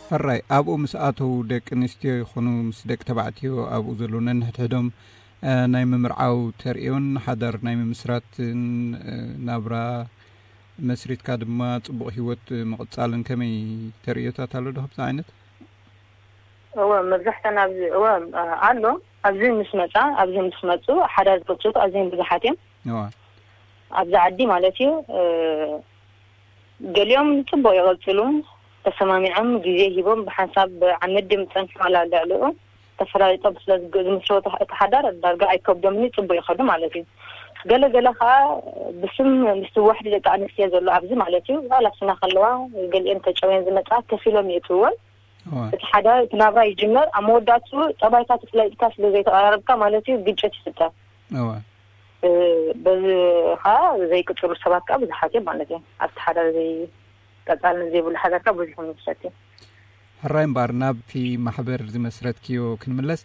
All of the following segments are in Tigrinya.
ሕራይ ኣብኡ ምስ ኣተዉ ደቂ ኣንስትዮ ይኹኑ ምስ ደቂ ተባዕትዮ ኣብኡ ዘለዉ ነንሕድሕዶም ናይ ምምርዓው ተርእዮን ሓዳር ናይ ምምስራትን ናብራ መስሪትካ ድማ ጽቡቕ ህይወት ምቕጻልን ከመይ ተርእዮታት ኣሎ ዶ? ከምዚ ዓይነት እወ መብዛሕተን ኣብዚ እወ ኣሎ። ኣብዚ ምስ መጻ ኣብዚ ምስ መጹ ሓዳር ዝፈቱ ኣዝዮም ብዙሓት እዮም። እዋ ኣብዚ ዓዲ ማለት እዩ። ገሊኦም ጽቡቕ ይቐጽሉ፣ ተሰማሚዖም ግዜ ሂቦም ብሓንሳብ ዓመት ድም ጸንሑ ዋላ ልዕልኡ ተፈላሊጦም ስለ ዝምስረቱ እቲ ሓዳር ዳርጋ ኣይከብዶምን እዩ፣ ጽቡቕ ይኸዱ ማለት እዩ። ገለ ገለ ከዓ ብስም ምስቲ ዋሕዲ ደቂ ኣንስትዮ ዘሎ ኣብዚ ማለት እዩ። ዋላ ስና ከለዋ ገሊአን ተጨውየን ዝመጻ ከፊሎም ይእትወን። እቲ ሓዳር እቲ ናብራ ይጅመር ኣብ መወዳእቱ ጠባይካ ተፍለጥካ ስለ ዘይተቐራረብካ ማለት እዩ ግጭት ይፍጠር። እወ በዚ ከዓ ዘይቅፅሉ ሰባት ከዓ ብዙሓት እዮም ማለት እዩ። ኣብቲ ሓዳር ዘይቀፃልን ዘይብሉ ሓዳር ከዓ ብዙሕ ይምሰት እዩ። ሕራይ እምበኣር ናብቲ ማሕበር ዝመስረትክዮ ክንምለስ፣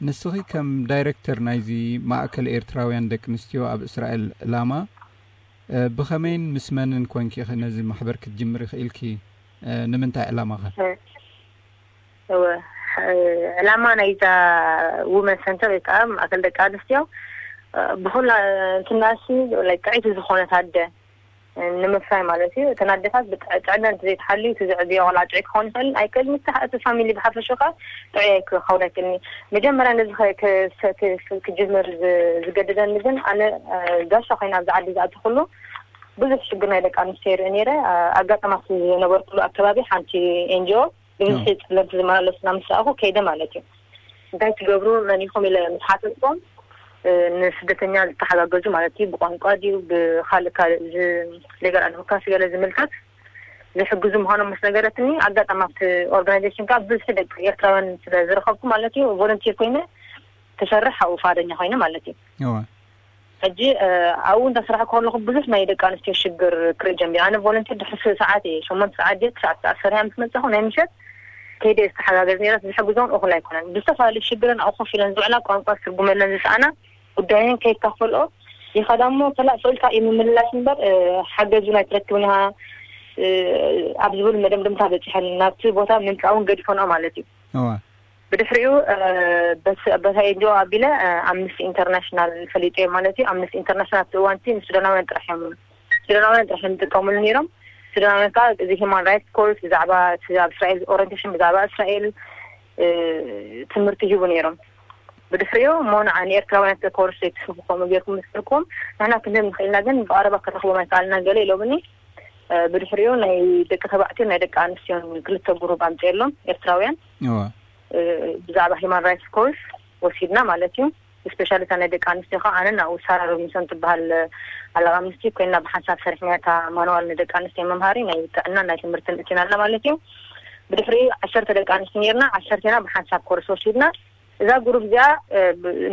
ንስኺ ከም ዳይረክተር ናይዚ ማእከል ኤርትራውያን ደቂ ኣንስትዮ ኣብ እስራኤል ዕላማ ብኸመይን ምስ መንን ኮንኪ ኢኺ ነዚ ማሕበር ክትጅምሪ ክኢልኪ? ንምንታይ ዕላማ ኸ? እወ ዕላማ ናይዛ ውመን ሰንተር ወይ ከዓ ማእከል ደቂ ኣንስትዮ ብኩላ እንትናሲ ጥዕይቲ ዝኾነት ኣደ ንምፍራይ ማለት እዩ። እተን ኣደታት ጥዕና እንተዘይተሓልዩ እቲ ዝዕብዮ ቆልዓ ጥዑይ ክኸውን ይኽእል ኣይክእል፣ ምስ እቲ ፋሚሊ ብሓፈሽኡ ከዓ ጥዑይ ክኸውን ኣይክእልን እዩ። መጀመርያ ነዚ ክጅምር ዝገደደኒ ግን ኣነ ጋሻ ኮይነ ኣብዚ ዓዲ ዝኣተኹሉ ብዙሕ ሽግር ናይ ደቂ ኣንስትዮ ይርኢ ነይረ። ኣጋጣማት ዝነበርኩሉ ኣከባቢ ሓንቲ ኤንጂኦ ብብዝሒ ፀለምቲ ዝመላለሱና ምስ ረኣኹ ከይደ ማለት እዩ። እንታይ ትገብሩ መን ኢኹም ኢለ ምስ ሓተትኩም ንስደተኛ ዝተሓጋገዙ ማለት እዩ ብቋንቋ ድዩ ብካልእ ካልእ ሌጋል ኣድቮካሲ ገለ ዝምልከት ዝሕግዙ ምዃኖም ምስ ነገረትኒ ኣጋጣሚ ኣብቲ ኦርጋናይዜሽን ከዓ ብብዝሒ ደቂ ኤርትራውያን ስለ ዝረኸብኩ ማለት እዩ ቮለንቲር ኮይነ ክሰርሕ ኣብኡ ፍቓደኛ ኮይነ ማለት እዩ። ሕጂ ኣብኡ እንዳሰራሕኩ ከለኹ ብዙሕ ናይ ደቂ ኣንስትዮ ሽግር ክርኢ ጀሚረ። ኣነ ቮለንቲር ድሕሪ ሰዓት እየ ሸሞንተ ሰዓት ድየ ትሽዓተ ሰዓት ሰሪሐ ምስ መፃኹ ናይ ምሸት ከይደ ዝተሓጋገዝ ነይረ። ዝሕግዞን እኹል ኣይኮነን። ብዝተፈላለዩ ሽግርን ኣብኡ ኮፍ ኢለን ዝውዕላ ቋንቋ ዝትርጉመለን ዝሰኣና ጉዳየን ከይካፈልኦ ይኸዳ እሞ ከላእ ፍቕልካ እዩ ምምልላስ እምበር ሓገዝ እውን ኣይትረክብን ኢኻ ኣብ ዝብል መደምደምታ በፂሐን ናብቲ ቦታ ምምፃእ እውን ገዲፈንኦ ማለት እዩ። ብድሕሪኡ በታ ኤንጂኦ ኣቢለ ኣምነስቲ ኢንተርናሽናል ፈሊጠዮ ማለት እዩ። ኣምነስቲ ኢንተርናሽናል ኣብቲ እዋንቲ ንሱዳናውያን ጥራሕ እዮም ሱዳናውያን ጥራሕ እዮም ዝጥቀምሉ ነይሮም። ሱዳናውያን ከዓ እዚ ሂማን ራይትስ ኮርስ ብዛዕባ ኣብ እስራኤል ኦሪንቴሽን ብዛዕባ እስራኤል ትምህርቲ ሂቡ ነይሮም። ብድሕሪኡ እሞ ንዓ ንኤርትራውያን ኮርስ ዘይትስርሑ ከምኡ ጌርኩም ምስ በልኩም ንሕና ክንህብ ንኽእልና ግን ብቐረባ ክንረኽቦም ኣይከኣልናን ገለ ኢሎምኒ። ብድሕሪኡ ናይ ደቂ ተባዕትዮን ናይ ደቂ ኣንስትዮን ክልተ ጉሩብ ኣምፅኤሎም ኤርትራውያን ብዛዕባ ሂማን ራይትስ ኮርስ ወሲድና ማለት እዩ። ስፔሻሊ እታ ናይ ደቂ ኣንስትዮ ከዓ ኣነ ናብኡ ሳራ ሮቢንሶን ትበሃል ኣለቃ ኣምነስቲ ኮይና ብሓንሳብ ሰሪሕና እታ ማንዋል ንደቂ ኣንስትዮ መምሃሪ ናይ ጥዕና ናይ ትምህርቲ ንእቲና ኣለና ማለት እዩ። ብድሕሪ ዓሰርተ ደቂ ኣንስትዮ ነርና ዓሰርቴና ብሓንሳብ ኮርስ ወሲድና እዛ ጉሩብ እዚኣ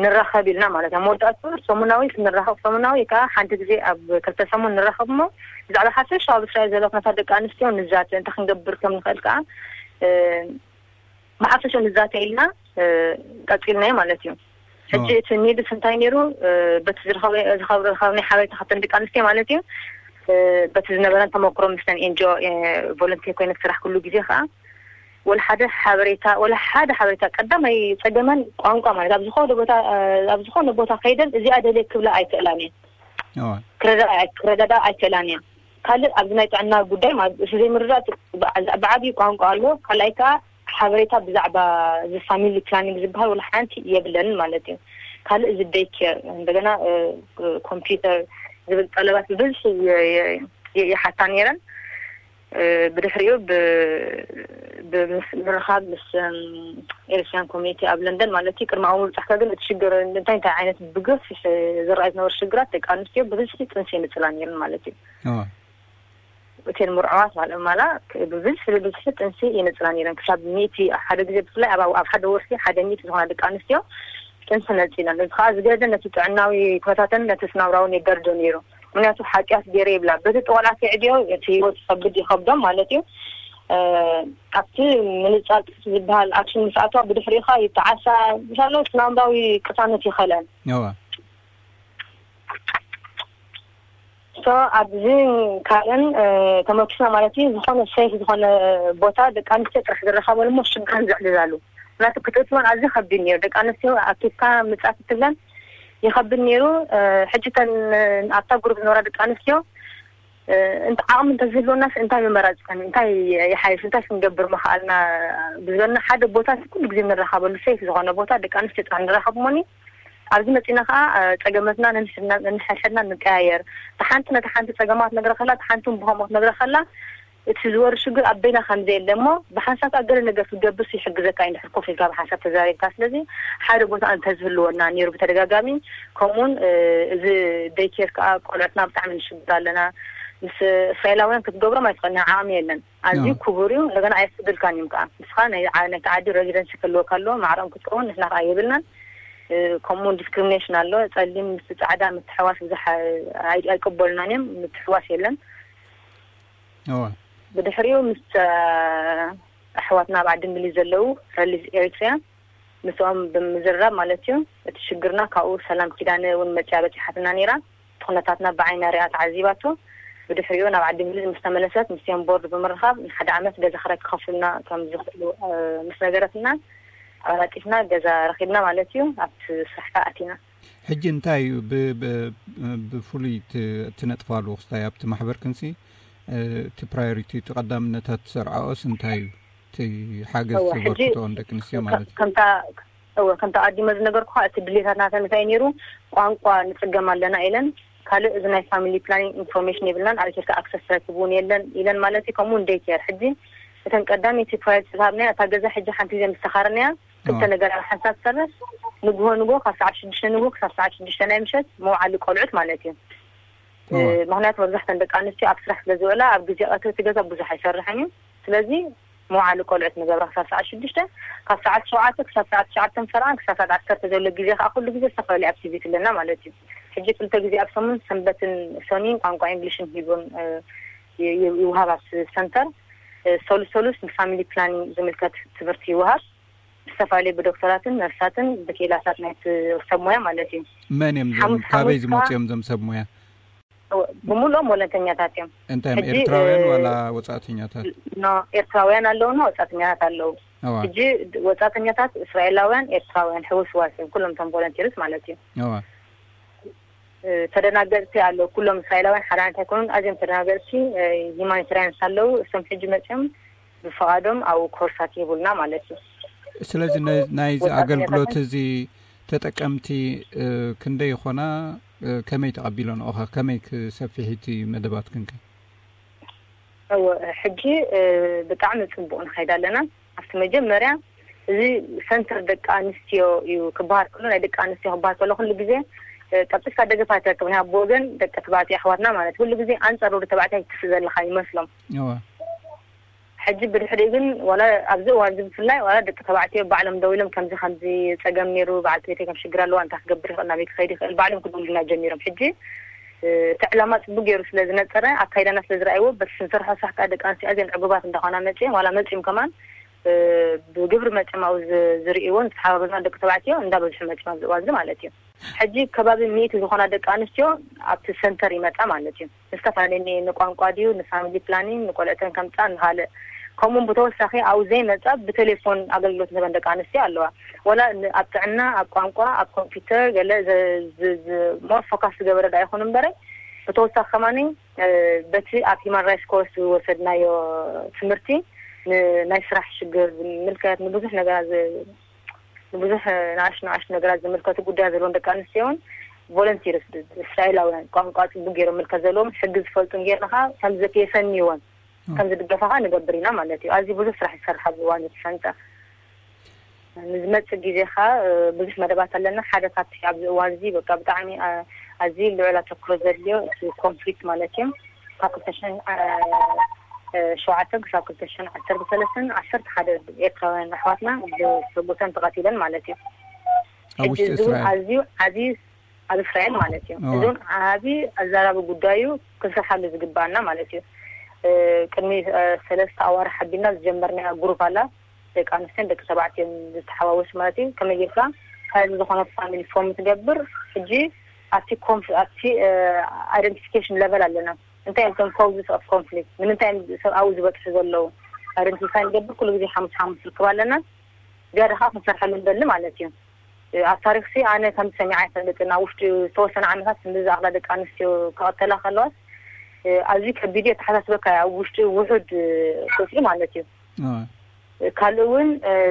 ንራኸብ ኢልና ማለት እያ። መወዳእቱ ሰሙናዊ ክንራኸብ ሰሙናዊ ከዓ ሓንቲ ግዜ ኣብ ክልተ ሰሙን ንራኸብ እሞ ብዛዕባ ሓፈሻ ኣብ እስራኤል ዘሎ ኩነታት ደቂ ኣንስትዮ ንዛተ እንታይ ክንገብር ከም ንኽእል ከዓ ብሓፈሻ ንዛተ ኢልና ቀፂልናዮ ማለት እዩ። ሕጂ እቲ ኒድስ እንታይ ነይሩ በቲ ዝረኸብናይ ሓበሬታ ካብተን ደቂ ኣንስትዮ ማለት እዩ በቲ ዝነበረን ተመክሮ ምስተን ኤንጂኦ ቮለንቲር ኮይነ ዝሰራሕኩሉ ግዜ ከዓ ወላ ሓደ ሓበሬታ ወላ ሓደ ሓበሬታ ቀዳማይ ፀገመን ቋንቋ ማለት ኣብ ዝኾነ ቦታ ኣብ ዝኾነ ቦታ ከይደን እዚኣ ደልየ ክብላ ኣይክእላን እየን። ክረዳዳ ኣይክእላን እየን። ካልእ ኣብዚ ናይ ጥዕና ጉዳይ ማለት እሱ ዘይምርዳእ ብዓብዩ ቋንቋ ኣሎ። ካልኣይ ከዓ ሓበሬታ ብዛዕባ እዚ ፋሚሊ ፕላኒንግ ዝበሃል ወላ ሓንቲ የብለንን ማለት እዩ። ካልእ እዚ ደይ ኬር እንደገና ኮምፒውተር ዝብል ጠለባት ብብዝሒ ይሓታ ነይረን። ብድሕሪኡ ብምርኻብ ምስ ኤርትራን ኮሚኒቲ ኣብ ለንደን ማለት እዩ ቅድሚ ኣብኡ ምብፃሕካ ግን እቲ ሽግር እንታይ እንታይ ዓይነት ብገፊሕ ዝረኣዩ ዝነበሩ ሽግራት ደቂ ኣንስትዮ ብብዝሒ ጥንሲ የንፅላ ነይረን ማለት እዩ። እተን ምርዑዋት ማለት ማላ ብብዝሒ ብብዝሒ ጥንሲ የንፅላ ነይረን ክሳብ ሚእቲ ሓደ ግዜ ብፍላይ ኣብ ሓደ ወርሒ ሓደ ሚእቲ ዝኾና ደቂ ኣንስትዮ ጥንሲ ነፂለን። እዚ ከዓ ዝገደ ነቲ ጥዕናዊ ኩነታተን ነቲ ስናብራውን የጋድዶ ነይሩ። ምክንያቱ ሓጢኣት ገይረ ይብላ በቲ ጠቆልዓት የዕድዮ እቲ ህይወት ይከብድ ይከብዶም ማለት እዩ። ኣብቲ ምንፃል ጥንሲ ዝበሃል ኣክሽን ምስ ኣትዋ ብድሕሪኡ ከዓ ይተዓሳ ምሳሎ ስናብራዊ ቅሳነት ይኸለን። ኣብዚ ካልእን ተመኪስና ማለት እዩ። ዝኾነ ሰይፍ ዝኾነ ቦታ ደቂ ኣንስትዮ ጥራሕ ዝረኻበሉ እሞ ሽጋን ዘዕልላሉ ምክንያቱ ክትእትወን ኣዝዩ ከቢድ ነይሩ። ደቂ ኣንስትዮ ኣኪብካ ምጻት ትብለን ይኸብድ ነይሩ። ሕጂ ተን ኣብታ ግሩፕ ዝነበራ ደቂ ኣንስትዮ እንተ ዓቕሚ እንተዝህልወናስ እንታይ ምመራፅከን እንታይ ይሓይሽ እንታይ ክንገብር ምኽኣልና ብዝበልና ሓደ ቦታ ኩሉ ግዜ ንራኸበሉ ሰይፍ ዝኾነ ቦታ ደቂ ኣንስትዮ ጥራሕ ንራኸብ እሞኒ ኣብዚ መፂና ከዓ ፀገመትና ነንሕድና ንቀያየር ተሓንቲ ነቲ ሓንቲ ፀገማት ነግረ ከላ ተሓንቲ ብኸምኡ ነግረ ከላ እቲ ዝወር ሽግር ኣብ በይና ከም ዘየለ እሞ ብሓንሳብ ከዓ ገለ ነገር ክትገብርስ ይሕግዘካ እዩ እንድሕር ኮፍ ኢልካ ብሓንሳብ ተዛሪብካ ስለዚ ሓደ ቦታ እንተዝህልወና ነይሩ ብተደጋጋሚ ከምኡውን እዚ ደይኬር ከዓ ቆልዑትና ብጣዕሚ ንሽግር ኣለና ምስ እስራኤላውያን ክትገብሮም ኣይትኽእልና ዓቕሚ የለን ኣዝዩ ክቡር እዩ እንደገና ኣየፍቅድልካን እዮም ከዓ ንስኻ ናይቲ ዓዲ ሬዚደንሲ ክህልወካ ኣለዎ ማዕረኦም ክትከውን ንሕና ከዓ የብልናን ከምኡ ዲስክሪሚኔሽን ኣሎ ጸሊም ምስ ጻዕዳ ምትሕዋስ ብዙሕ ኣይቀበሉናን እዮም ምትሕዋስ የለን ብድሕሪኡ ምስ ኣሕዋትና ኣብ ዓዲ እንግሊዝ ዘለዉ ሪሊዝ ኤሪትሪያ ምስኦም ብምዝርራብ ማለት እዩ እቲ ሽግርና ካብኡ ሰላም ኪዳነ እውን መፅያ በፂሓትና ነይራ እቲ ኩነታትና ብዓይና ሪኣ ተዓዚባቶ ብድሕሪኡ ናብ ዓዲ እንግሊዝ ምስ ተመለሰት ምስቲኦም ቦርድ ብምርኻብ ንሓደ ዓመት ገዛ ክራይ ክኸፍሉልና ከም ዝኽእሉ ምስ ነገረትና ኣቀላጢፍና ገዛ ረኺብና ማለት እዩ ኣብቲ ስራሕ ከዓ ኣቲና ሕጂ እንታይ እዩ ብፍሉይ ትነጥፋሉ ክስታይ ኣብቲ ማሕበርክንሲ እቲ ፕራዮሪቲ እቲ ቀዳምነታት ትሰርዓኦስ እንታይ እዩ እቲ ሓገዝ ተበርክትኦ ንደቂ ኣንስትዮ ማለት እዩ እወ ከምቲ ኣቐዲመ ዝነገርኩኻ እቲ ድሌታት ናተን እንታይ ነይሩ ቋንቋ ንፅገም ኣለና ኢለን ካልእ እዚ ናይ ፋሚሊ ፕላኒንግ ኢንፎርሜሽን የብልናን ኣብ ኢትዮጵያ ኣክሰስ ትረክብ እውን የለን ኢለን ማለት እዩ ከምኡ እውን ዴይ ኬር ሕጂ እተን ቀዳመይቲ ፕራዮሪቲ ዝሃብናያ እታ ገዛ ሕጂ ሓንቲ ግዜ ምስ ተኻረናያ ክልተ ነገር ኣብ ሓንሳብ ትሰርሕ ንግሆ ንግሆ ካብ ሰዓት ሽዱሽተ ንግሆ ክሳብ ሰዓት ሽዱሽተ ናይ ምሸት መውዓሊ ቆልዑት ማለት እዩ ምክንያቱ መብዛሕተን ደቂ ኣንስትዮ ኣብ ስራሕ ስለ ዝውዕላ ኣብ ግዜ ቀትሪ እቲ ገዛ ብዙሕ ኣይሰርሕን እዩ ስለዚ መውዓሊ ቆልዑት ንገብራ ክሳብ ሰዓት ሽዱሽተ ካብ ሰዓት ሸውዓተ ክሳብ ሰዓት ትሽዓተ ንሰርዓን ክሳብ ሰዓት ዓሰርተ ዘሎ ግዜ ከዓ ኩሉ ግዜ ዝተፈላለዩ ኣክቲቪቲ ኣለና ማለት እዩ ሕጂ ክልተ ግዜ ኣብ ሰሙን ሰንበትን ሰኒን ቋንቋ ኢንግሊሽን ሂቦን ይውሃብ ኣብ ሰንተር ሰሉስ ሰሉስ ንፋሚሊ ፕላኒንግ ዝምልከት ትምህርቲ ይውሃብ ዝተፈላለዩ ብዶክተራትን ነርሳትን ብክኢላታት ናይ ሰብ ሞያ ማለት እዩ መን እዮም ዞም ካበይ ዝመፁ እዮም ዞም ሰብ ሞያ ብምልኦም ወለንተኛታት እዮም እንታይ እዮም ኤርትራውያን ዋላ ወፃእተኛታት ኤርትራውያን ኣለውና ወፃእተኛታት ኣለዉ ሕጂ ወፃእተኛታት እስራኤላውያን ኤርትራውያን ሕውስዋስ እዮም ኩሎም ቶም ቮለንቲርስ ማለት እዩ ተደናገፅቲ ኣለዉ ኩሎም እስራኤላውያን ሓደ ዓይነት ኣይኮኑን ኣዝዮም ተደናገፅቲ ሂማኒታሪያንስ ኣለዉ እሶም ሕጂ መፅኦም ብፍቓዶም ኣብኡ ኮርሳት ይህቡልና ማለት እዩ። ስለዚ ናይዚ ኣገልግሎት እዚ ተጠቀምቲ ክንደይ ይኾና? ከመይ ተቐቢለንኦ ኸ? ከመይ ክሰፊሕ እቲ መደባትክን ከ? እወ ሕጂ ብጣዕሚ ፅቡቕ ንኸይድ ኣለና። ኣብቲ መጀመርያ እዚ ሰንተር ደቂ ኣንስትዮ እዩ ክበሃል ከሎ ናይ ደቂ ኣንስትዮ ክበሃል ከሎ ኩሉ ግዜ ቀልጢፍካ ደገፍ ኣይትረክብን ኢኻ ብወገን ደቂ ተባዕትዮ ኣሕዋትና ማለት ኩሉ ግዜ ኣንፃር ወዲ ተባዕታይ ትስእ ዘለኻ ይመስሎም። ሕጂ ብድሕሪኡ ግን ዋላ ኣብዚ እዋን እዚ ብፍላይ ዋላ ደቂ ተባዕትዮ ባዕሎም ደው ኢሎም ከምዚ ከምዚ ፀገም ነይሩ በዓልቲ ቤተይ ከም ሽግር ኣለዋ እንታይ ክገብር ይኽእል ናበይ ክኸይድ ይኽእል ባዕሎም ክድውሉልና ጀሚሮም ሕጂ እቲ ዕላማ ፅቡቅ ገይሩ ስለ ዝነፀረ ኣካይዳና ስለ ዝረኣይዎ በቲ ስንሰርሖ ስራሕ ከዓ ደቂ ኣንስትዮ ኣዝየን ዕጉባት እንዳኾና መፅየን ዋላ መፅዮም ከማን ብግብሪ መፅዮም ኣብኡ ዝርእይዎን ዝተሓባበሩና ደቂ ተባዕትዮ እንዳበዝሑ መፅዮም ኣብዚ እዋን እዚ ማለት እዩ ሕጂ ከባቢ ሚእቲ ዝኾና ደቂ ኣንስትዮ ኣብቲ ሰንተር ይመፃ ማለት እዩ ንዝተፈላለየ ንቋንቋ ድዩ ንፋሚሊ ፕላኒንግ ንቆልዕተን ከምፃ ንካልእ ከምኡውን ብተወሳኺ ኣብኡ ዘይመፃ ብቴሌፎን ኣገልግሎት ንህበን ደቂ ኣንስትዮ ኣለዋ ወላ ኣብ ጥዕና ኣብ ቋንቋ ኣብ ኮምፒውተር ገለ ሞር ፎካስ ዝገበረ ዳ ይኹን እምበረ ብተወሳኺ ከማኒ በቲ ኣብ ሂማን ራይትስ ኮርስ ዝወሰድናዮ ትምህርቲ ናይ ስራሕ ሽግር ዝምልከት ንብዙሕ ነገራት ንብዙሕ ንኣሽ ንኣሽ ነገራት ዝምልከቱ ጉዳያት ዘለዎም ደቂ ኣንስትዮ እውን ቮለንቲርስ እስራኤላውያን ቋንቋ ፅቡቅ ገይሮም ምልከት ዘለዎም ሕጊ ዝፈልጡን ገይርና ከዓ ከም የሰንይወን ከም ዝድገፋ ከዓ ንገብር ኢና ማለት እዩ ኣዝዩ ብዙሕ ስራሕ ይሰርሕ ኣብዚ እዋን ዝትፈንጠ ንዝመፅእ ግዜ ከዓ ብዙሕ መደባት ኣለና ሓደ ካብቲ ኣብዚ እዋን እዚ በቃ ብጣዕሚ ኣዝዩ ልዑል ኣተክሮ ዘድልዮ እቲ ኮንፍሊክት ማለት እዩ ካብ ክልተ ሽሕን ሸውዓተ ክሳብ ክልተ ሽሕን ዓሰርተ ሰለስተን ዓሰርተ ሓደ ኤርትራውያን ኣሕዋትና ብሰጉተን ተቐቲለን ማለት እዩ ሕጂ እዚ እውን ኣዝዩ ዓብዪ ኣብ እስራኤል ማለት እዩ እዚ እውን ዓብዪ ኣዛራቢ ጉዳይ እዩ ክንሰርሓሉ ዝግባኣና ማለት እዩ ቅድሚ ሰለስተ ኣዋርሕ ኣቢልና ዝጀመርናያ ግሩፕ ኣላ ደቂ ኣንስትዮን ደቂ ተባዕትዮን ዝተሓዋወስ ማለት እዩ ከመይ ጌርካ ካብ ዝኾነ ፋሚሊ ፎርም ትገብር ሕጂ ኣብቲ ኮንፍ ኣብቲ ኣይደንቲፊኬሽን ለቨል ኣለና። እንታይ እዮም እቶም ኮውዝስ ኦፍ ኮንፍሊክት፣ ንምንታይ እዮም ሰብኣዊ ዝበፅሑ ዘለዉ? ኣይደንቲፋይ ንገብር ኩሉ ግዜ ሓሙስ ሓሙስ ርክብ ኣለና። ዝያዳ ከዓ ክንሰርሐሉ ንደሊ ማለት እዩ። ኣብ ታሪክሲ ኣነ ከም ሰሚዓ ኣይፈልጥን። ኣብ ውሽጢ ዝተወሰነ ዓመታት ክንዲ ዝኣኽላ ደቂ ኣንስትዮ ክቐተላ ከለዋስ ኣዝዩ ከቢድ እዩ። ኣተሓሳስበካ ኣብ ውሽጢ ውሑድ ቁፅሪ ማለት እዩ። ካልእ እውን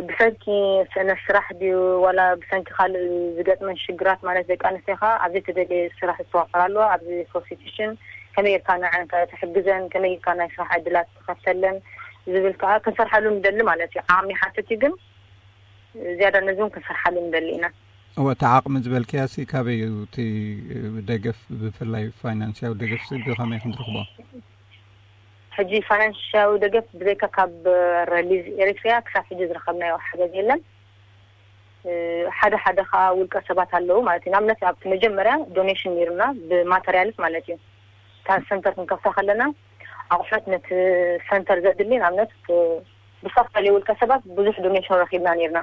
ብሰንኪ ስእነት ስራሕ ድዩ ዋላ ብሰንኪ ካልእ ዝገጥመን ሽግራት ማለት ደቂ ኣንስትዮ ከዓ ኣብ ዘይተደልየ ስራሕ ዝተዋፈራ ኣለዋ። ኣብዚ ፕሮስቲቱሽን ከመይ ጌርካ ንዐን ትሕግዘን፣ ከመይ ጌርካ ናይ ስራሕ ዕድላት ትኸፍተለን ዝብል ከዓ ክንሰርሐሉ ንደሊ ማለት እዩ። ዓቕሚ ይሓትት እዩ ግን ዝያዳ ነዚ እውን ክንሰርሓሉ ንደሊ ኢና። እወ፣ እቲ ዓቕሚ ዝበልክያሲ ካበይ እዩ እቲ ደገፍ፣ ብፍላይ ፋይናንስያዊ ደገፍሲ ብኸመይ ክንረኽቦ? ሕጂ ፋይናንስያዊ ደገፍ ብዘይካ ካብ ረሊዝ ኤሪትሪያ ክሳብ ሕጂ ዝረኸብናዮ ሓገዝ የለን። ሓደ ሓደ ከዓ ውልቀ ሰባት ኣለዉ ማለት እዩ። ንኣብነት ኣብቲ መጀመርያ ዶኔሽን ነይሩና ብማተርያልስ ማለት እዩ። እታ ሰንተር ክንከፍታ ከለና ኣቑሑት ነቲ ሰንተር ዘድሊ ንኣብነት ብዝተፈላለዩ ውልቀ ሰባት ብዙሕ ዶኔሽን ረኺብና ነይርና።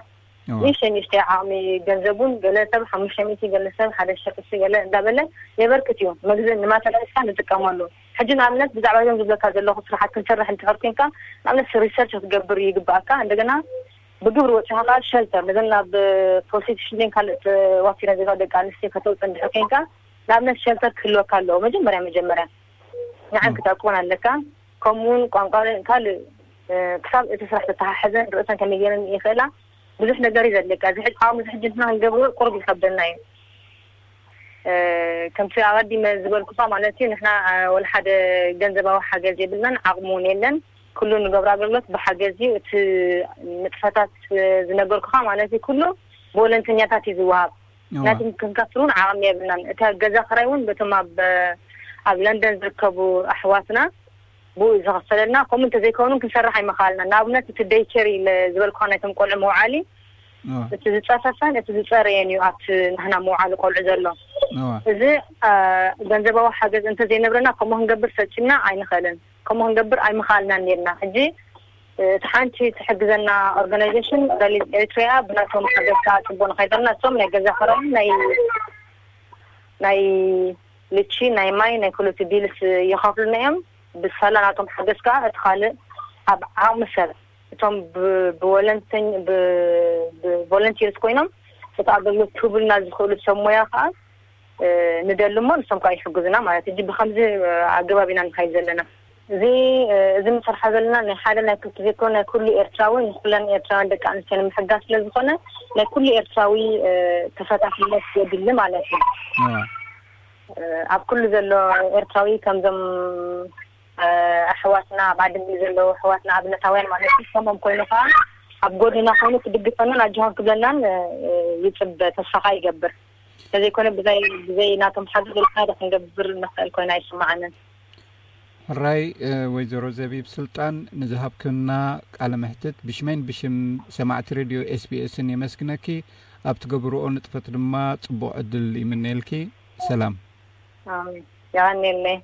ንእሽተይ ንእሽተይ ዓቕሚ ገንዘቡን ገለ ሰብ ሓሙሽተ ሚእቲ ገለ ሰብ ሓደ ሺሕ ቅርሺ ገለ እንዳበለ የበርክት እዩ። መግዝእ ንማተርያልስካ ንጥቀመሉ። ሕጂ ንኣብነት ብዛዕባ እዞም ዝብለካ ዘለኹ ስራሓት ክንሰርሕ እንድሕር ኮንካ ንኣብነት ሪሰርች ክትገብር ይግባኣካ። እንደገና ብግብሪ ወፂኻ ከዓ ሸልተር ነዘን ናብ ፕሮስቲቱሽን ካልእ ተዋፊረን ዘለዋ ደቂ ኣንስትዮ ከተውፅእ እንድሕር ኮንካ ንኣብነት ሸልተር ክህልወካ ኣለዎ። መጀመርያ መጀመርያ ንዓን ክትዕቅቦን ኣለካ። ከምኡውን ቋንቋ ካልእ ክሳብ እቲ ስራሕ ተተሓሕዘን ርእሰን ከመይ ገይረን ይኽእላ ብዙሕ ነገር እዩ ዘድልየካ። እዚ ሕጂ ዓቕሚ እዚ ሕጂ ንሕና ክንገብሮ ቁሩብ ይከብደና እዩ። ከምቲ ኣቐዲመ ዝበልኩኻ ማለት እዩ ንሕና ወላ ሓደ ገንዘባዊ ሓገዝ የብልናን ዓቕሚ እውን የለን። ኩሉ ንገብሮ ኣገልግሎት ብሓገዝ እዩ። እቲ ንጥፈታት ዝነገርኩኻ ማለት እዩ ኩሉ ብወለንተኛታት እዩ ዝወሃብ። ናትም ክንከፍል እውን ዓቕሚ የብልናን። እታ ገዛ ክራይ እውን በቶም ኣብ ኣብ ለንደን ዝርከቡ ኣሕዋትና ብኡ ዝኸፈለልና። ከምኡ እንተዘይከውኑ ክንሰርሕ ኣይመኻልና። ንኣብነት እቲ ደይኬር ኢለ ዝበልኩኻ ናይቶም ቆልዑ መውዓሊ እቲ ዝፀፈፈን እቲ ዝፀረየን እዩ ኣብቲ ናህና መውዓሊ ቆልዑ ዘሎ። እዚ ገንዘባዊ ሓገዝ እንተዘይነብረና ከምኡ ክንገብር ፈፂምና ኣይንኽእልን። ከምኡ ክንገብር ኣይምኻልናን ነርና። ሕጂ እቲ ሓንቲ ትሕግዘና ኦርጋናይዜሽን ረሊዝ ኤሪትሪያ ብናቶም ሓገዝ ከዓ ፅቡቅ ንኸይደልና እሶም ናይ ገዛ ክራይ ናይ ናይ ልቺ ናይ ማይ ናይ ኩሉ እቲ ቢልስ ይኸፍሉና እዮም። ብሳላ ናቶም ሓገዝ ከዓ እቲ ካልእ ኣብ ዓቕሚ ሰብ እቶም ብወለንተኝ ብቮለንቲርስ ኮይኖም እቲ ኣገልግሎት ክህቡልና ዝኽእሉ ሰብ ሞያ ከዓ ንደሊ እሞ ንሶም ከዓ ይሕግዙና ማለት እዩ። ብከምዚ ኣገባብ ኢና ንኸይድ ዘለና። እዚ እዚ ንሰርሓ ዘለና ናይ ሓደ ናይ ክልተ ዘይኮነ ናይ ኩሉ ኤርትራዊ ንኩለን ኤርትራውያን ደቂ ኣንስትዮ ንምሕጋዝ ስለ ዝኾነ ናይ ኩሉ ኤርትራዊ ተፈታሕነት የድሊ ማለት እዩ። ኣብ ኩሉ ዘሎ ኤርትራዊ ከምዞም ኣሕዋትና ኣብ ዓዲ እንግሊዝ ዘለዉ ኣሕዋትና ኣብነታውያን ማለት እዩ። ከምኦም ኮይኑ ከዓ ኣብ ጎድና ኮይኑ ክድግፈናን ኣጆኻን ክብለናን ይፅበ ተስፋ ከዓ ይገብር። እንተዘይኮነ ብዘይ ብዘይ ናቶም ሓገዝ ወላ ሓደ ክንገብር ንኽእል ኮይና ኣይስምዓንን። ሕራይ ወይዘሮ ዘቢብ ስልጣን ንዝሃብክና ቃለ መሕትት ብሽመይን ብሽም ሰማዕቲ ሬድዮ ኤስቢኤስን የመስግነኪ። ኣብ ትገብርኦ ንጥፈት ድማ ፅቡቕ ዕድል ይምነየልኪ። ሰላም። የቐንየለይ።